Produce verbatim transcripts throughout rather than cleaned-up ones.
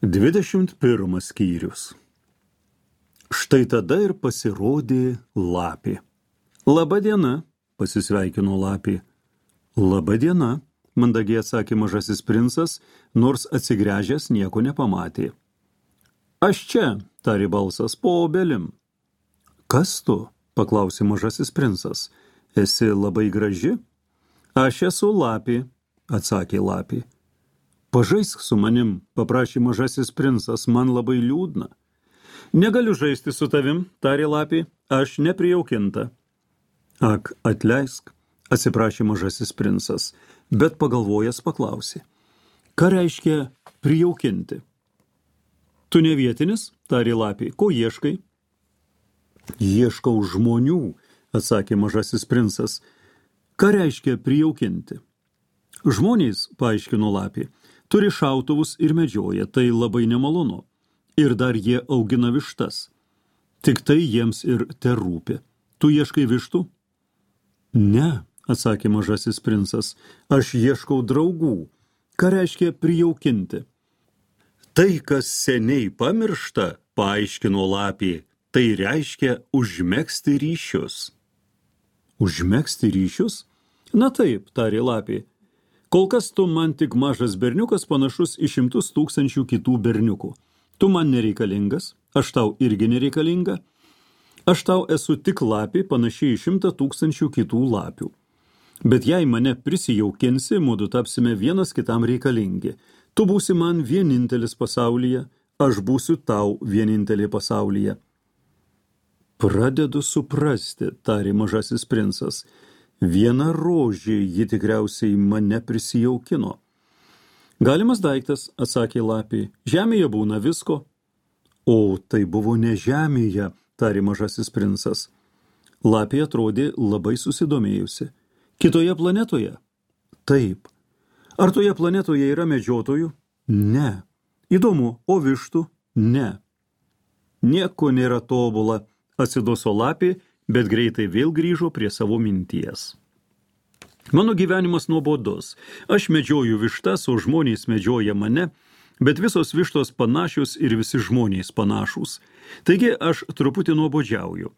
Dvidešimt pirmas skyrius. Štai tada ir pasirodė lapė. Labą dieną, pasisveikino lapė. Labą dieną, mandagiai atsakė mažasis princas, nors atsigręžęs nieko nepamatė. Aš čia, tarė balsas, po obelim. Kas tu? Paklausė mažasis princas. Esi labai graži? Aš esu lapė, atsakė lapė. Pažaisk su manim, paprašė mažasis princas, man labai liūdna. Negaliu žaisti su tavim, tarė lapė, aš neprijaukinta. Ak, atleisk, atsiprašė mažasis princas, bet pagalvojęs paklausė. Ką reiškia prijaukinti? Tu ne vietinis, tarė lapė, ko ieškai? Ieškau žmonių, atsakė mažasis princas. Ką reiškia prijaukinti? Žmonės, paaiškino lapė, turi šautuvus ir medžioja, tai labai nemalonu. Ir dar jie augina vištas. Tik tai jiems ir terūpi. Tu ieškai vištų? Ne, atsakė mažasis princas, aš ieškau draugų. Ką reiškia prijaukinti? Tai, kas seniai pamiršta, paaiškino lapė, tai reiškia užmegzti ryšius. Užmegzti ryšius? Na taip, tarė lapė. Kol kas tu man tik mažas berniukas panašus į šimtus tūkstančių kitų berniukų. Tu man nereikalingas, aš tau irgi nereikalinga. Aš tau esu tik lapė panašiai į šimtą tūkstančių kitų lapių. Bet jei mane prisijaukinsi, mudu tapsime vienas kitam reikalingi. Tu būsi man vienintelis pasaulyje, aš būsiu tau vienintelė pasaulyje. Pradedu suprasti, tarė mažasis princas. Viena rožė ji tikriausiai mane prisijaukino. Galimas daiktas, atsakė lapė, žemėje būna visko. O, tai buvo ne žemėje, tarė mažasis princas. Lapė atrodė labai susidomėjusi. Kitoje planetoje? Taip. Ar toje planetoje yra medžiotojų? Ne. Įdomu, o vištų? Ne. Nieko nėra tobula, atsiduso lapė, bet greitai vėl grįžo prie savo minties. Mano gyvenimas nuobodus. Aš medžioju vištas, o žmonės medžioja mane, bet visos vištos panašios ir visi žmonės panašūs. Taigi aš truputį nuobodžiauju.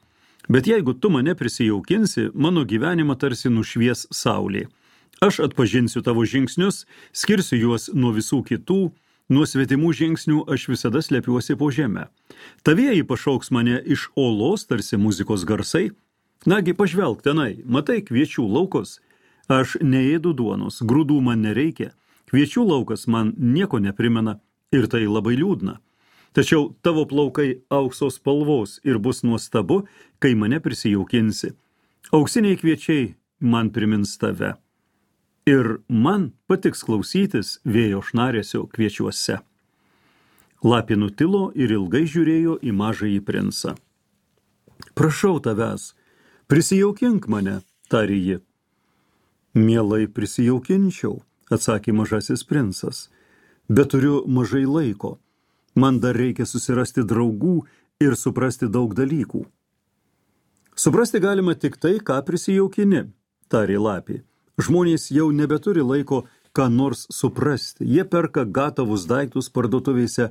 Bet jeigu tu mane prisijaukinsi, mano gyvenimą tarsi nušvies saulė. Aš atpažinsiu tavo žingsnius, skirsiu juos nuo visų kitų, nuo svetimų žingsnių aš visada slepiuosi po žemę. Tavieji pašauks mane iš olos, tarsi muzikos garsai. Nagi, pažvelk tenai, matai kviečių laukus. Aš neėdu duonos, grūdų man nereikia. Kviečių laukas man nieko neprimena ir tai labai liūdna. Tačiau tavo plaukai aukso spalvos ir bus nuostabu, kai mane prisijaukinsi. Auksiniai kviečiai man primins tave. Ir man patiks klausytis vėjo šnaresio kviečiuose. Lapė nutilo ir ilgai žiūrėjo į mažąjį princą. Prašau tavęs, prisijaukink mane, tarė ji. Mielai prisijaukinčiau, atsakė mažasis princas, bet turiu mažai laiko. Man dar reikia susirasti draugų ir suprasti daug dalykų. Suprasti galima tik tai, ką prisijaukini, tarė lapė. Žmonės jau nebeturi laiko ką nors suprasti. Jie perka gatavus daiktus parduotuvėse,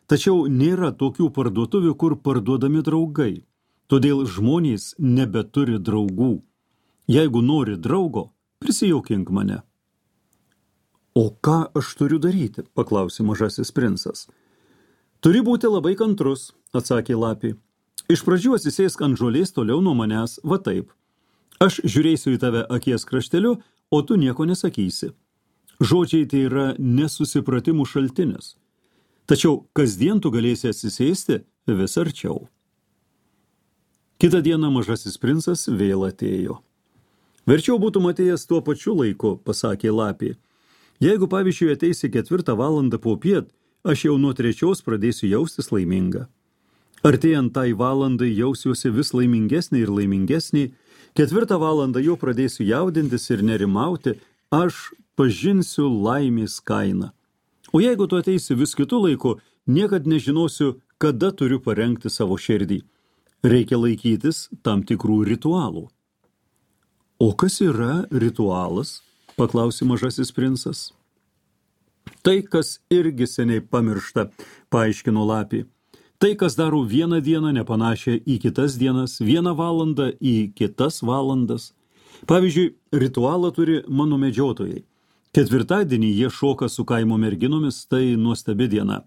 tačiau nėra tokių parduotuvių, kur parduodami draugai. Todėl žmonės nebeturi draugų. Jeigu nori draugo, prisijaukink mane. O ką aš turiu daryti, paklausė mažasis princas. Turi būti labai kantrus, atsakė lapė. Iš pradžių atsisėsk ant žolės toliau nuo manęs, va taip. Aš žiūrėsiu į tave akies krašteliu, o tu nieko nesakysi. Žodžiai tai yra nesusipratimų šaltinis. Tačiau kasdien tu galėsi atsisėsti vis arčiau. Kitą dieną mažasis princas vėl atėjo. Verčiau būtum atėjęs tuo pačiu laiku, pasakė lapė. Jeigu pavyzdžiui ateisi ketvirtą valandą po piet, aš jau nuo trečios pradėsiu jaustis laiminga. Artėjant tai valandai jausiuosi vis laimingesnė ir laimingesnė, ketvirtą valandą jau pradėsiu jaudintis ir nerimauti, aš pažinsiu laimės kainą. O jeigu tu ateisi vis kitu laiku, niekad nežinosiu, kada turiu parengti savo širdį. Reikia laikytis tam tikrų ritualų. O kas yra ritualas? Paklausė mažasis princas. Tai, kas irgi seniai pamiršta, paaiškino lapė. Tai, kas daro vieną dieną nepanašią į kitas dienas, vieną valandą į kitas valandas. Pavyzdžiui, ritualą turi mano medžiotojai. Ketvirtadienį jie šoka su kaimo merginomis, tai nuostabi diena.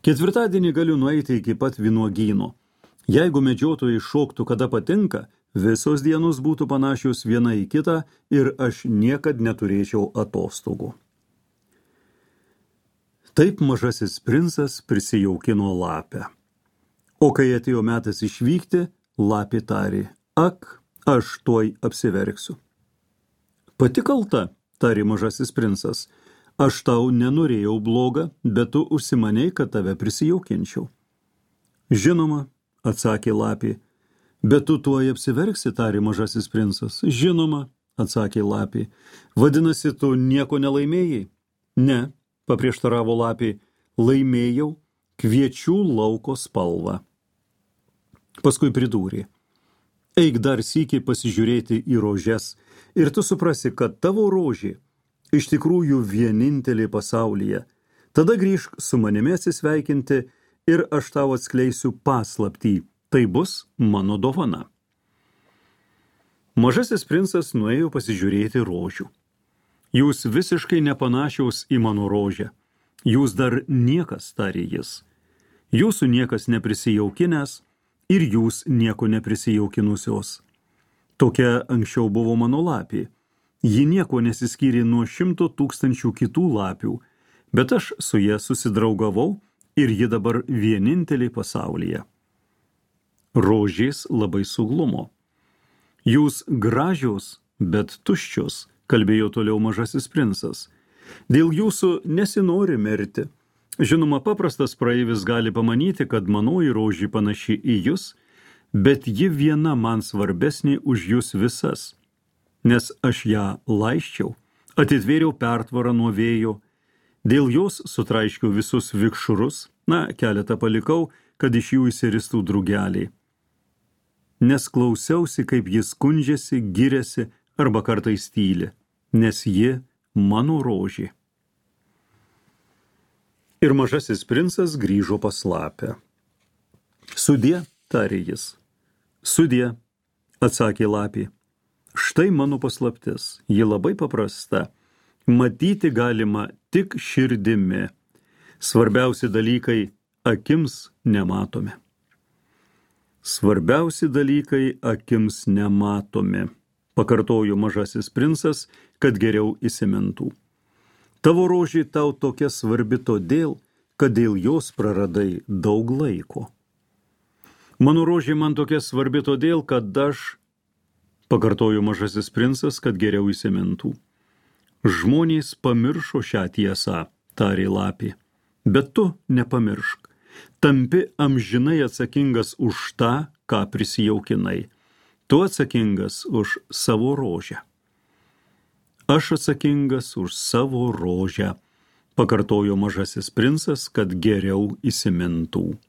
Ketvirtadienį galiu nueiti iki pat vynuogyno. Jeigu medžiotojai šoktų kada patinka, visos dienos būtų panašios viena į kitą ir aš niekad neturėčiau atostogų. Taip mažasis princas prisijaukino lapę. O kai atėjo metas išvykti, lapė tarė, ak, aš tuoj apsiverksiu. Pati kalta, tarė mažasis princas, aš tau nenorėjau bloga, bet tu užsimanei, kad tave prisijaukinčiau. Žinoma, atsakė lapė, bet tu tuoj apsiverksi, tarė mažasis princas. Žinoma, atsakė lapė, vadinasi, tu nieko nelaimėjai? Ne, paprieštaravo lapė, laimėjau kviečių lauko spalvą. Paskui pridūrė, eik dar sykį pasižiūrėti į rožes ir tu suprasi, kad tavo rožė iš tikrųjų vienintelė pasaulyje. Tada grįžk su manimi atsisveikinti ir aš tau atskleisiu paslaptį. Tai bus mano dovana. Mažasis princas nuėjo pasižiūrėti rožių. Jūs visiškai nepanašiaus į mano rožę. Jūs dar niekas, tarė jis. Jūsų niekas neprisijaukinęs ir jūs nieko neprisijaukinusios. Tokia anksčiau buvo mano lapė. Ji nieko nesiskyrė nuo šimto tūkstančių kitų lapių, bet aš su ja susidraugavau ir ji dabar vienintelė pasaulyje. Rožės labai suglumo. Jūs gražios, bet tuščios, kalbėjo toliau mažasis princas. Dėl jūsų nesinori mirti. Žinoma, paprastas praeivis gali pamanyti, kad manoji rožė panaši į jūs, bet ji viena man svarbesnė už jūs visas, nes aš ją laisčiau, atitvėriau pertvarą nuo vėjo, dėl jos sutraiškiau visus vikšrus, na, keletą palikau, kad iš jų įsiristų drugeliai. Nes klausiausi, kaip jis skundžiasi, giriasi arba kartais tyli, nes ji mano rožė. Ir mažasis princas grįžo pas lapę. Sudie, tarė jis. Sudie, atsakė lapė. Štai mano paslaptis, ji labai paprasta. Matyti galima tik širdimi. Svarbiausi dalykai akims nematomi. Svarbiausi dalykai akims nematomi, pakartojo mažasis princas, kad geriau įsimintų. Tavo rožė tau tokia svarbi todėl, kad dėl jos praradai daug laiko. Mano rožė man tokia svarbi todėl, kad aš, pakartojo mažasis princas, kad geriau įsimintų. Žmonės pamiršo šią tiesą, tarė lapė, bet tu nepamiršk. Tampi amžinai atsakingas už tą, ką prisijaukinai. Tu atsakingas už savo rožę. Aš atsakingas už savo rožę, pakartojo mažasis princas, kad geriau įsimintų.